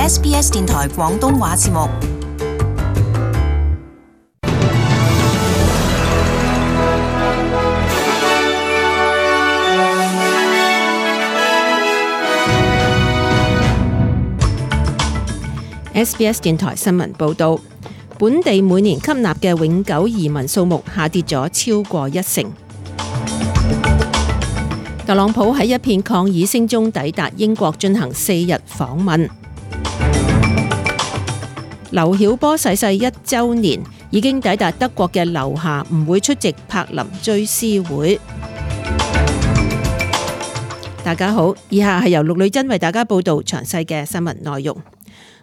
SBS 電台廣東話節目。SBS 電台新聞報導，本地每年吸納嘅永久移民數目下跌咗超過1成。特朗普喺一片抗議聲中抵達英國進行4日訪問。劉曉波逝世1週年，已經抵達德國嘅劉霞唔會出席柏林追思會。大家好，以下係由陸女珍為大家報導詳細嘅新聞內容。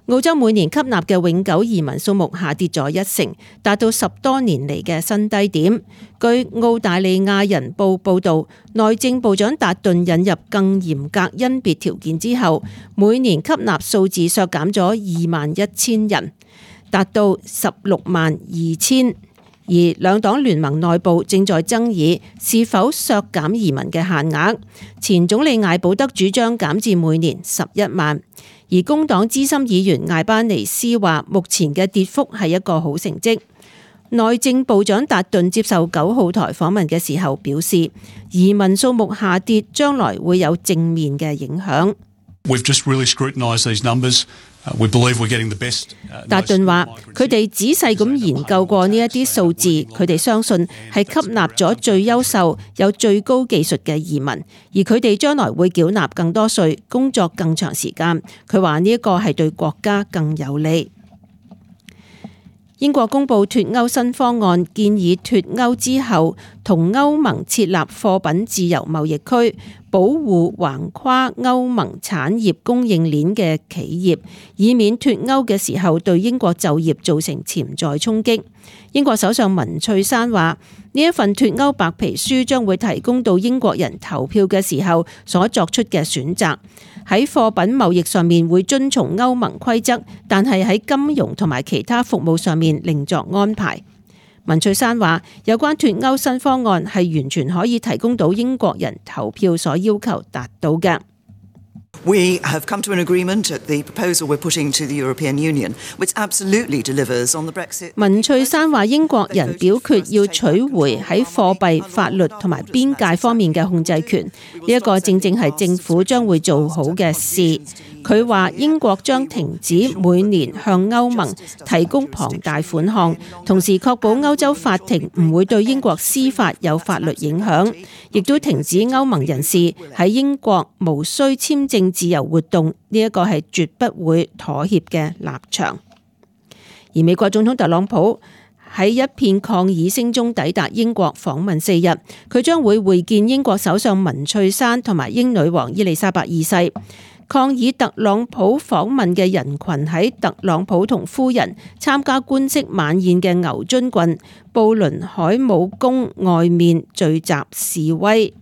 澳洲每年吸納嘅永久移民數目下跌咗1成，達到10多年嚟嘅新低點。據澳大利亞人報報導，內政部長達頓引入更嚴格甄別條件之後，每年吸納數字削減咗21,000人，達到162,000。而兩黨聯盟內部正在爭議是否削減移民嘅限額。前總理艾保德主張減至每年11萬。而工黨資深議員艾巴尼斯話，目前嘅跌幅係一個好成績。內政部長達頓接受9號台訪問嘅時候表示，移民數目下跌將來會有正面嘅影響。達頓話：佢哋仔細咁研究過呢一啲數字，佢哋相信係吸納咗最優秀、有最高技術嘅移民，而佢哋將來會繳納更多稅，工作更長時間。佢話呢一個係對國家更有利。英國公布脫歐新方案，建議脫歐之後同歐盟設立貨品自由貿易區，保護橫跨歐盟產業供應鏈嘅企業，以免脫歐嘅時候對英國就業造成潛在衝擊。英國首相文翠珊話：呢一份脫歐白皮書將會提供到英國人投票嘅時候所作出嘅選擇。喺貨品貿易上面會遵從歐盟規則，但係喺金融同埋其他服務上面另作安排。文翠珊話：有關脫歐新方案係完全可以提供到英國人投票所要求達到嘅。We have come to an agreement at the proposal we're putting to the European Union, which absolutely delivers on the Brexit. 文翠珊話：英國人表決要取回喺貨幣、法律同埋邊界方面嘅控制權，呢一個正正係政府將會做好嘅事。佢話英國將停止每年向歐盟提供龐大款項，同時確保歐洲法庭唔會對英國司法有法律影響，亦都停止歐盟人士喺英國無需簽證自由活動，呢一個係絕不會妥協嘅立場。而美國總統特朗普喺一片抗議聲中抵達英國訪問4日，佢將會會見英國首相文翠珊同埋英女王伊麗莎白二世。抗議特朗普訪問嘅人群喺特朗普同夫人參加官式晚宴嘅牛津郡布倫海姆宮外面聚集示威。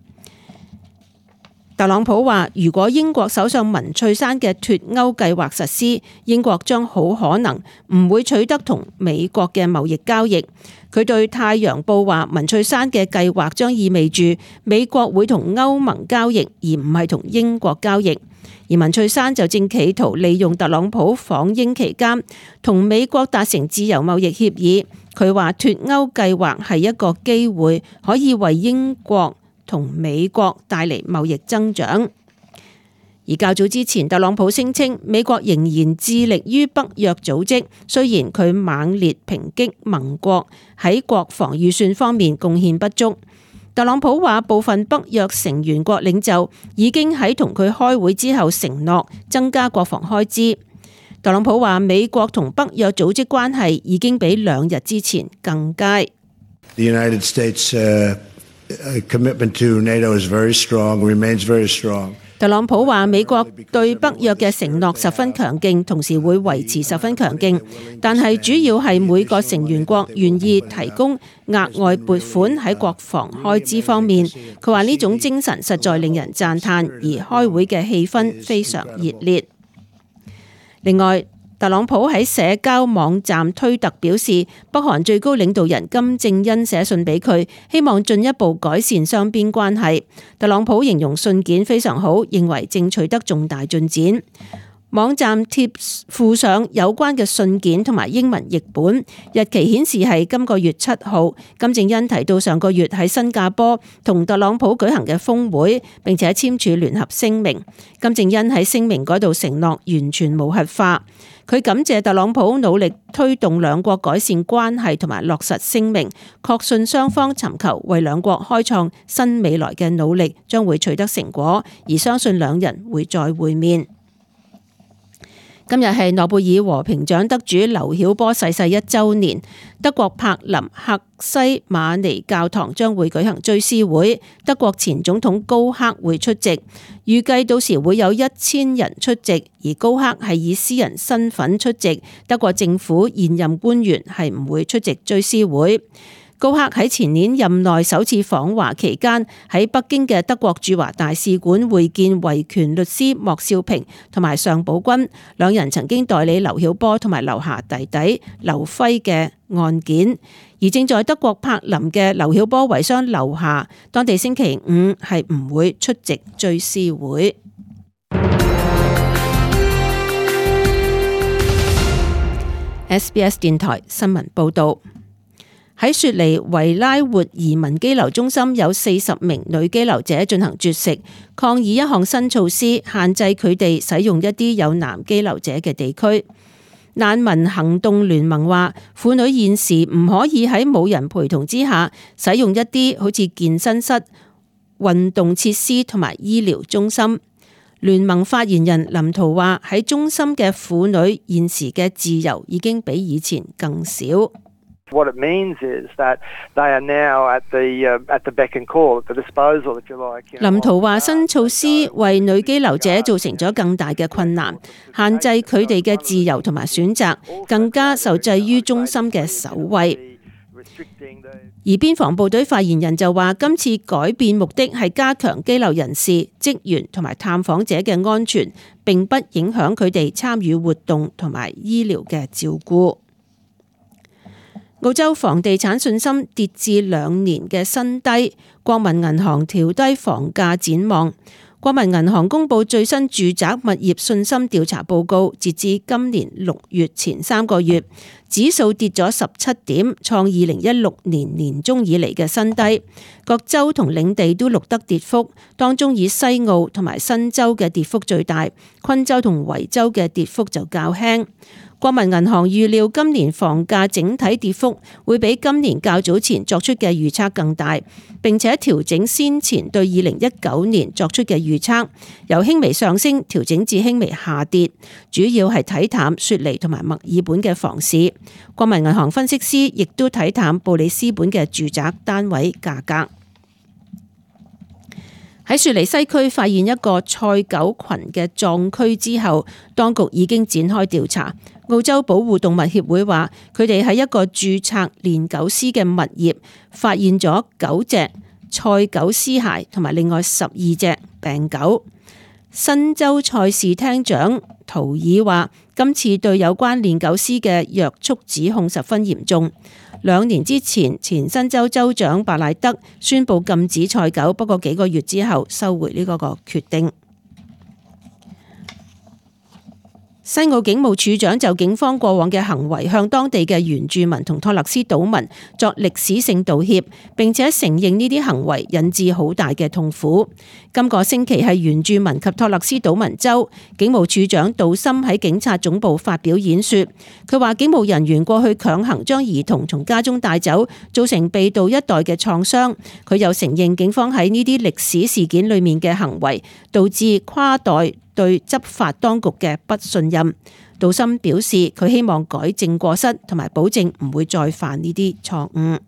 特朗普話：如果英國首相文翠珊嘅脫歐計劃實施，英國將好可能唔會取得同美國嘅貿易交易。佢對《太陽報》話：文翠珊嘅計劃將意味住美國會同歐盟交易，而唔係同英國交易。而文翠珊就正企圖利用特朗普訪英期間同美國達成自由貿易協議。佢話脫歐計劃係一個機會，可以為英國同美國帶嚟貿易增長。而較早之前，特朗普聲稱美國仍然致力於北約組織，雖然佢猛烈抨擊盟國喺國防預算方面貢獻不足。特朗普話部分北約成員國領袖已經喺同佢開會之後承諾增加國防開支。特朗普話美國同北約組織關係已經比2日之前更佳。The United States commitment to NATO is very strong, remains very strong. 特朗普話美國對北約嘅承諾十分強勁，同時會維持十分強勁，但係主要係每個成員國願意提供額外撥款喺國防開支方面。佢話呢種精神實在令人讚嘆，而開會嘅氣氛非常熱烈。另外，特朗普喺社交網站推特表示，北韓最高領導人金正恩寫信俾佢，希望進一步改善雙邊關係。特朗普形容信件非常好，認為正取得重大進展。網站貼附上有關嘅信件同埋英文譯本，日期顯示係今個月7號。金正恩提到上個月喺新加坡同特朗普舉行嘅峰會，並且簽署聯合聲明。金正恩喺聲明嗰度承諾完全無核化。佢感謝特朗普努力推動兩國改善關係同埋落實聲明，確信雙方尋求為兩國開創新未來嘅努力將會取得成果，而相信兩人會再會面。今日係諾貝爾和平獎得主劉曉波逝世1週年，德國柏林赫西馬尼教堂將會舉行追思會，德國前總統高克會出席，預計到時會有1000人出席，而高克係以私人身份出席，德國政府現任官員係唔會出席追思會。高克喺前年任內首次訪華期間，喺北京嘅德國駐華大使館會見維權律師莫少平同埋尚寶軍，兩人曾經代理劉曉波同埋劉霞弟弟劉輝嘅案件。而正在德國柏林嘅劉曉波遺孀劉霞，當地星期5係唔會出席追思會。SBS 電台新聞報導。喺雪梨維拉活移民羈留中心有40名女羈留者進行絕食，抗議一項新措施，限制佢哋使用一啲有男羈留者嘅地區。難民行動聯盟話，婦女現時唔可以喺冇人陪同之下使用一啲好似健身室、運動設施同埋醫療中心。聯盟發言人林圖話，喺中心嘅婦女現時嘅自由已經比以前更少。What it means is that they are now at the beck and call, at the disposal, if you like. 林圖話，新措施為女羈留者造成咗更大嘅困難，限制佢哋嘅自由同埋選擇，更加受制於中心嘅守衛。而邊防部隊發言人就話，今次改變目的係加強羈留人士、職員同埋探訪者嘅安全，並不影響佢哋參與活動同埋醫療嘅照顧。澳洲房地產信心跌至2年嘅新低，國民銀行調低房價展望。國民銀行公布最新住宅物業信心調查報告，截至今年6月前3個月，指數跌咗17點，創2016年年中以嚟嘅新低。各州同領地都錄得跌幅，當中以西澳同埋新州嘅跌幅最大，昆州同維州嘅跌幅就較輕。國民銀行預料今年房價整體跌幅會比今年較早前作出嘅預測更大，並且調整先前對2019年作出嘅預測，由輕微上升調整至輕微下跌，主要係睇淡雪梨同埋墨爾本嘅房市。國民銀行分析師亦都睇淡布里斯本嘅住宅單位價格。喺雪梨西區發現一個賽狗群嘅葬區之後，當局已經展開調查。澳洲保護動物協會話，佢哋喺一個註冊練狗師嘅物業發現咗9隻賽狗屍骸同埋另外12隻病狗。新州賽事廳長圖爾話，今次對有關練狗師嘅約束指控十分嚴重。2年之前，前新州州長白賴德宣布禁止賽狗，不過幾個月之後收回呢個決定。西澳警務處長就警方過往嘅行為向當地嘅原住民同托勒斯島民作歷史性道歉，並且承認呢啲行為引致好大嘅痛苦。今個星期係原住民及托勒斯島民週，警務處長杜森喺警察總部發表演說，佢話警務人員過去強行將兒童從家中帶走，造成被盜一代嘅創傷。佢又承認警方喺呢啲歷史事件裏面嘅行為，導致跨代對執法當局嘅不信任。杜森表示，佢希望改正過失，同埋保證唔會再犯呢啲錯誤。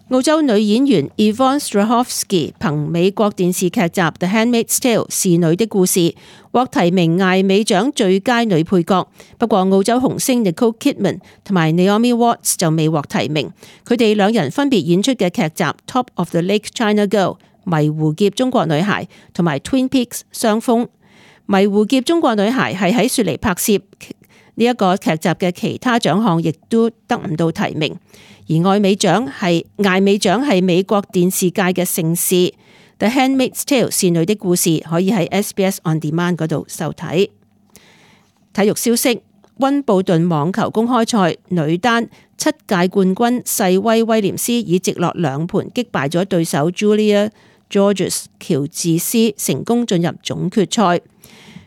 澳洲女演員 Yvonne Strahovski 憑美國電視劇集《The Handmaid's Tale》侍女的故事獲提名艾美獎最佳女配角，不過澳洲紅星 Nicole Kidman 同埋 Naomi Watts 就未獲提名。佢哋兩人分別演出嘅劇集《Top of the Lake China Girl》迷湖劫中國女孩同埋 Twin Peaks 雙峰。迷湖劫中國女孩係喺雪梨拍攝呢一個劇集嘅其他獎項亦都得唔到提名。而艾美獎係美國電視界嘅盛事。The Handmaid's Tale 侍女的故事可以喺 SBS On Demand 嗰度收睇。體育消息：溫布頓網球公開賽女單7屆冠軍細威威廉斯以直落2盤擊敗咗對手 Julia Georges 喬治斯，成功進入總決賽。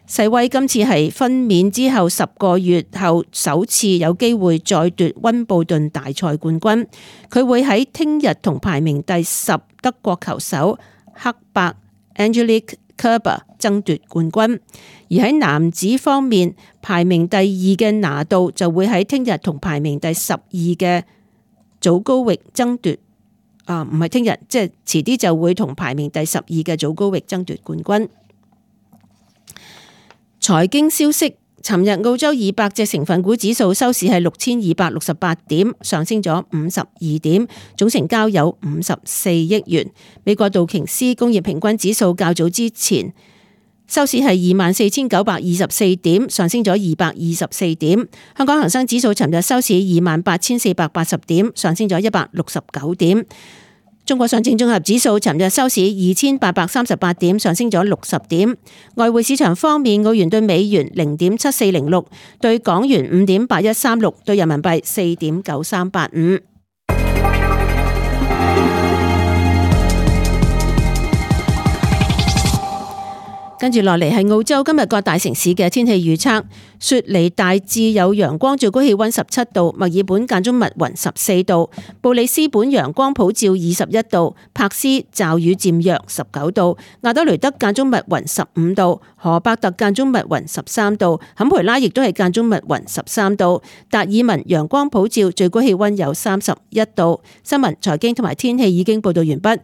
細威今次係分娩之後10個月後首次有機會再奪溫布頓大賽冠軍。佢會喺聽日同排名第10德國球手克伯 Angelique Kerber 爭奪冠軍。而喺男子方面，排名第2嘅拿度就會喺聽日同排名第12嘅祖高域爭奪。唔係聽日，即係遲啲就會同排名第12嘅祖高域爭奪冠軍。財經消息：尋日澳洲200隻成分股指數收市係6268點，上升咗52點，總成交有54億元。美國道瓊斯工業平均指數較早之前收市係24,924點，上升咗224點。香港恒生指數尋日收市28,480點，上升咗169點。中國上證綜合指數尋日收市2,838點，上升咗60點。外匯市場方面，澳元對美元0.7406，對港元5.8136，對人民幣4.9385。跟住落嚟係澳洲今日各大城市嘅天氣預測。雪梨大致有陽光，最高氣溫17度；墨爾本間中密雲14度；布里斯本陽光普照21度；柏斯驟雨漸弱19度；亞德雷德間中密雲15度；荷伯特間中密雲13度；坎培拉亦都係間中密雲13度；達爾文陽光普照，最高氣溫有31度。新聞、財經同埋天氣已經報道完畢。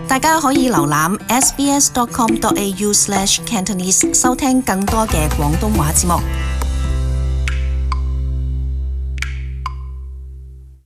大家可以瀏覽 sbs.com.au/cantonese 收聽更多嘅廣東話節目。